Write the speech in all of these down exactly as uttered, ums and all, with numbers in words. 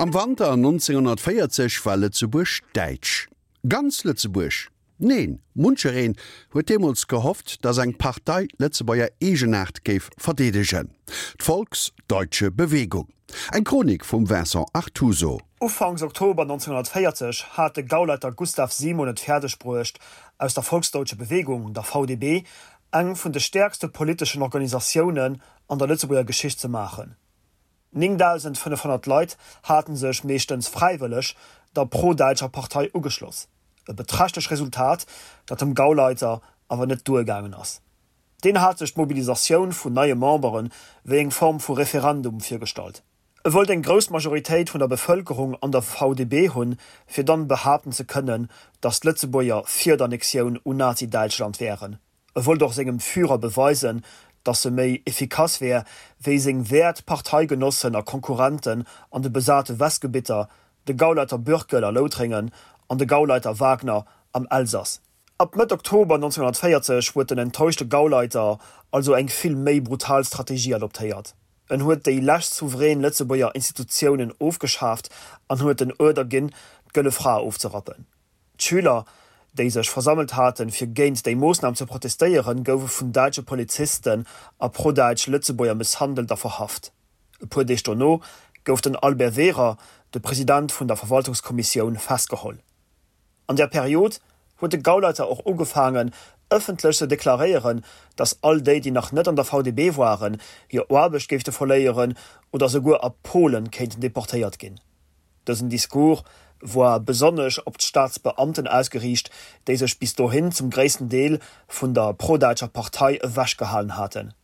Am Wanter neunzehnhundertvéierzeg war Lëtzebuerg däitsch. Ganz Lëtzebuerg? Neen, munchereen huet deemools gehofft, datt eng Partei d'Lëtzebuerger Eegenaart géif verdeedegen, d'Volksdeutsche Bewegung. Eng Chronik vum Vincent Artuso. Ufanks Oktober neunzehnhundertvéierzeg hat de Gauleiter Gustav Simon et fäerdeg bruecht, aus der Volksdeutsche Bewegung, der V D B, eng vun de stäerkste politeschen Organisatiounen an der Lëtzebuerger Geschicht ze maachen. Néngdausendfënnefhonnert Leit hate sech, meeschtens fräiwëlleg, der pro-däitscher Partei ugeschloss. E beträchtlech Resultat, dat dem Gauleiter awer net duergaangen ass. Deen hat sech d'Mobilisatioun vun neie Membere wéi eng Form vu Referendum virgestallt. E wollt eng grouss Majoritéit vun der Bevëlkerung an der V D B hunn, fir dann behaapten ze kënnen, datt d'Lëtzebuerger fir d'Annexioun un Nazi-Däitschland wären. E wollt och sengem Führer beweisen, datt e méi effikass wär, wéi seng wäert Parteigenossen a Konkurrenten an de besate Westgebitter, de Gauleiter Bürckel a Loutrengen an de Gauleiter Wagner am Elsass. Ab Mëtt Oktober neunzehnhundertvéierzeg huet den enttäuschte Gauleiter also eng vill méi brutal Strategie adoptéiert. En huet déi lescht souverän Lëtzebuerger Institutiounen ofgeschaaft an huet den Uerder ginn, d'Gëlle Fra ofzerappen. D'Schüler, déi sech versammelt haten, fir géint déi Moossnam ze protestéieren, goufe vun däitsche Polizisten a pro-däitsch Lëtzebuerger mësshandelt a verhaft. E puer Deeg dono gouf den Albert Wehrer, de President vun der Verwaltungskommissioun, festgeholl. An der Period huet de Gauleiter och ugefaangen, ëffentlech ze deklaréieren, datt all déi, déi nach net an der V D B waren, hir Aarbecht géifte verléieren oder souguer a Polen kéinten deportéiert ginn. Dësen Discours war besonnesch op d'Staatsbeamten ausgeriicht, déi sech bis dohin zum gréissten Deel vun der pro-däitscher Partei ewechgehalen haten.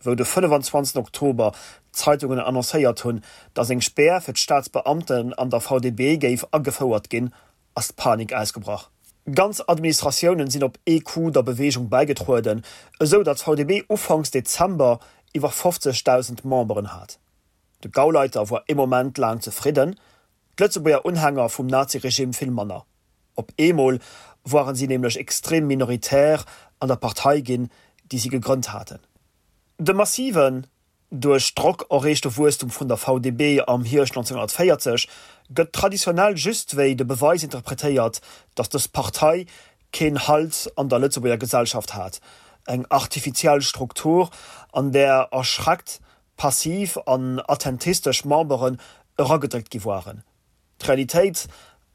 Wou de fënnefenzwanzegsten Oktober d'Zeitungen annoncéiert hunn, datt eng Spär fir d'Staatsbeamten an der V D B géif agefouert ginn, ass d'Panik ausgebrach. Ganz Administratiounen sinn op ee Coup der Beweegung bäigetrueden, esou datt d'V D B ufanks Dezember iwwer fofzegdausend Memberen hat. De Gauleiter war ee Moment laang zefridden, d'Lëtzebuerger Unhänger vum Naziregime vill manner. Op eemol waren si nämlech extrem minoritär an der Partei ginn, déi si gegrënnt haten. De massiven, duerch Drock erreechte Wuesstum vun der V D B am Hierscht neunzehnhundertvéierzeg gëtt traditionell just wéi de Beweis interpretéiert, datt dës Partei keen Halt an der Lëtzebuerger Gesellschaft hat, eng artifiziell Struktur, an där erschreckt, passiv an attentistesch Memberen eragedréckt gi waren. D'Realitéit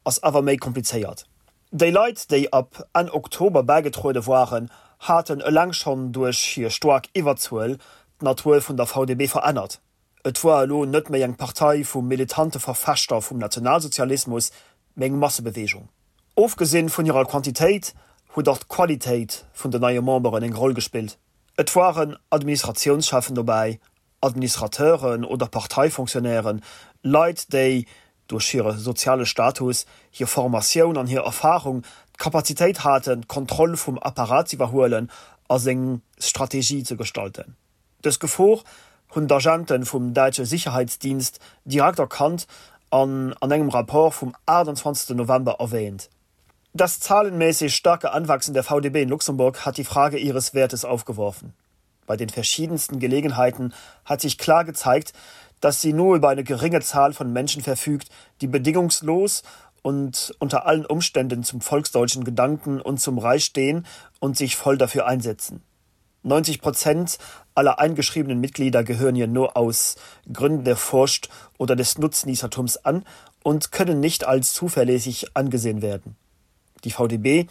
ass awer méi komplizéiert. Déi Leit, déi ab Enn Oktober bäigetruede waren, haten eleng schonn duerch hir staark Iwwerzuel d'Natur vun der V D B verännert. Et war elo net méi eng Partei vu militante Verfechter vum Nationalsozialismus, mee eng Massebeweegung. Ofgesinn vun hirer Quantitéit huet och d'Qualitéit vun den neie Memberen eng Roll gespillt. Et waren Administratiounscheffen dobäi, Administrateuren oder Parteifonctionnairen, Leit, déi duerch hire soziale Status, hir Formatioun an hir Erfarung d'Kapazitéit haten, d'Kontroll vum Apparat ze iwwerhuelen a seng Strategie ze gestalten. Dës Gefor hunn d'Agenten vum däitsche Sicherheitsdienst direkt erkannt an an engem Rapport vum achtundzwanzegsten November erwähnt. Das zahlenmäßig starke Anwachsen der V D B in Luxemburg hat die Frage ihres Wertes aufgeworfen. Bei den verschiedensten Gelegenheiten hat sich klar gezeigt, dass sie nur über eine geringe Zahl von Menschen verfügt, die bedingungslos und unter allen Umständen zum volksdeutschen Gedanken und zum Reich stehen und sich voll dafür einsetzen. neunzig Prozent aller eingeschriebenen Mitglieder gehören hier nur aus Gründen der Furcht oder des Nutznießertums an und können nicht als zuverlässig angesehen werden. Die V D B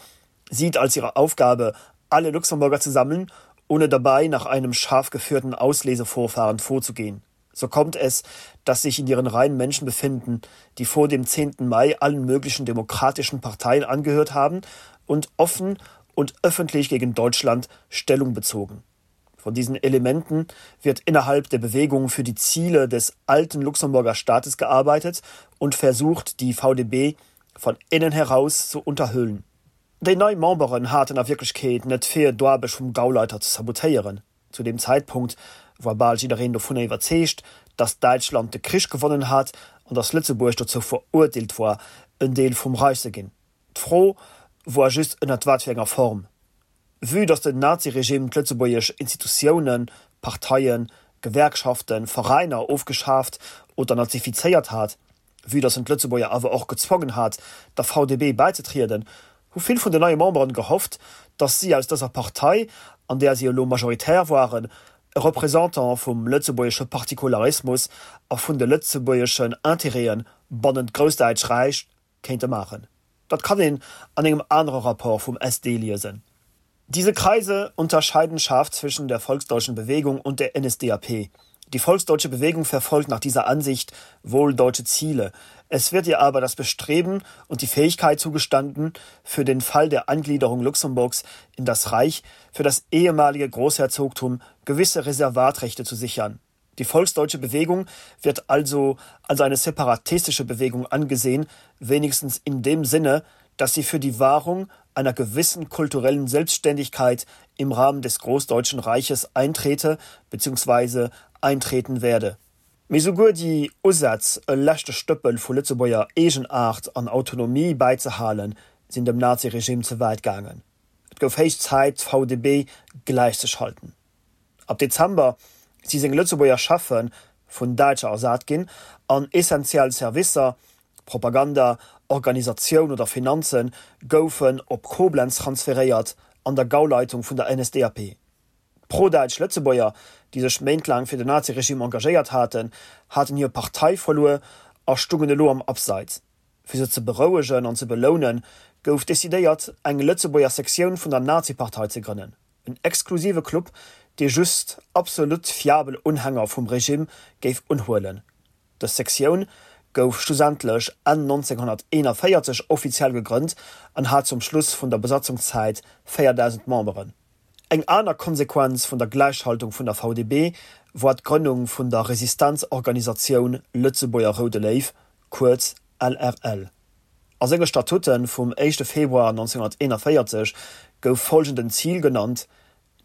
sieht als ihre Aufgabe, alle Luxemburger zu sammeln, ohne dabei nach einem scharf geführten Auslesevorfahren vorzugehen. So kommt es, dass sich in ihren Reihen Menschen befinden, die vor dem zehnten Mai allen möglichen demokratischen Parteien angehört haben und offen und öffentlich gegen Deutschland Stellung bezogen. Von diesen Elementen wird innerhalb der Bewegung für die Ziele des alten Luxemburger Staates gearbeitet und versucht, die V D B von innen heraus zu unterhöhlen. Déi nei Memberen haten a Wierklechkeet net fir d'Aarbecht vum Gauleiter ze sabotéieren. Zu dem Zeitpunkt war bal jiddereen dovun iwwerzeegt, datt Däitschland de Krich gewonnen hat an datt Lëtzebuerg dozou verurteelt war, en Deel vum Reich ze ginn. D'Fro war just ënner wat fir enger Form. Vue datt den Naziregime d'lëtzebuergesch Institutiounen, Parteien, Gewerkschaften, Veräiner ofgeschaaft oder nazifizéiert hat, Vue datt en d'Lëtzebuerger awer och gezwongen hat, der V D B bäizetrieden, hu vill vun den neie Memberen gehofft, datt si aus dëser Partei, an där si elo majoritär waren, e Représentant vum lëtzebuergesche Partikularismus a vun de lëtzebuergeschen Intérêten bannent Groussdäitsch Räich kéinte maachen. Dat kann een an engem anere Rapport vum S D liesen. Diese Kreise unterscheiden scharf zwischen der volksdeutschen Bewegung und der N S D A P. Die volksdeutsche Bewegung verfolgt nach dieser Ansicht wohl deutsche Ziele. Es wird ihr aber das Bestreben und die Fähigkeit zugestanden, für den Fall der Angliederung Luxemburgs in das Reich für das ehemalige Großherzogtum gewisse Reservatrechte zu sichern. Die volksdeutsche Bewegung wird also als eine separatistische Bewegung angesehen, wenigstens in dem Sinne, dass sie für die Wahrung einer gewissen kulturellen Selbstständigkeit im Rahmen des Großdeutschen Reiches eintrete bzw. eintreten werde. Mee souguer déi Usätz, e leschte Stëppel vu Lëtzebuerger Eegenaart an Autonomie bäizehalen, sinn dem Naziregime ze wäit gaangen. Et gouf héich Zäit, d'V D B gläichzeschalten. Ab Dezember si seng Lëtzebuerger Cheffe vun Däitscher ersat ginn an essentiell Servicer, Propaganda, Organisatioun oder Finanzen, goufen op Koblenz transferéiert an der Gauleitung vun der N S D A P. Prodäitsch Lëtzebuerger, déi sech méintlaang fir den Naziregime engagéiert haten, haten hir Partei verluer a stungen elo am Abseits. Fir se ze berouegen an ze belounen, gouf decidéiert, eng Lëtzebuerger Sektioun vun der Nazipartei ze grënnen. En exklusive Club, dee just absolut fiabel Unhänger vum Regime géif unhuelen. Dës Sektioun gouf schlussendlech Enn neunzehnhunderteenundvéierzeg offiziell gegrënnt an hat zum Schluss vun der Besatzungszäit véierdausend Memberen. Eng aner Konsequenz vun der Gläichschaltung vun der V D B war d'Grënnung vun der Resistenzorganisatioun Lëtzebuerger Roude Léiw, kuerz L R L. A senge Statute vum éischte Februar neunzehnhunderteenundvéierzeg gouf follgenden Zil genannt: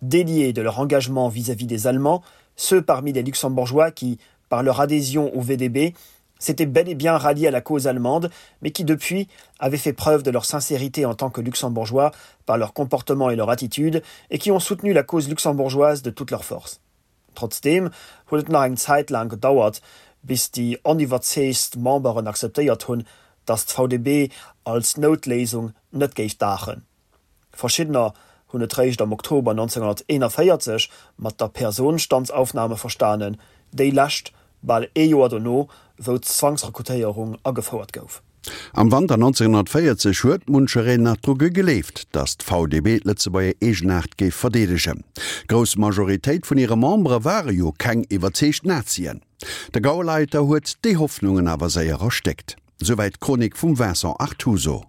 Déliés de leur engagement vis-à-vis des Allemands, ceux parmi les Luxembourgeois qui, par leur adhésion au V D B, s'étaient bel et bien ralliés à la cause allemande, mais qui depuis avaient fait preuve de leur sincérité en tant que Luxembourgeois par leur comportement et leur attitude, et qui ont soutenu la cause luxembourgeoise de toute leur force. Trotzdeem huet et nach eng Zäit laang gedauert, bis déi oniwwerzeegtst Memberen akzeptéiert hunn, datt d'V D B als Noutléisung net géif daachen. Verschiddener hunn et réischt am Oktober neunzehnhunderteenundvéierzeg mat der Personenstandsaufnahme verstanen, déi lescht bal ee Joer dono, wou d'Zwangsrekrutéierung agefouert gouf. Am Wanter neunzehnhundertvéierzeg huet munchereen nach dru gegleeft, datt d'V D B d'Lëtzebuerger Eegenaart géif verdeedegen. D'grouss Majoritéit vun hire Membere ware jo keng iwwerzeegt Nazien. De Gauleiter huet déi Hoffnungen awer séier erstéckt. Souwäit d'Chronik vum Vincent Artuso.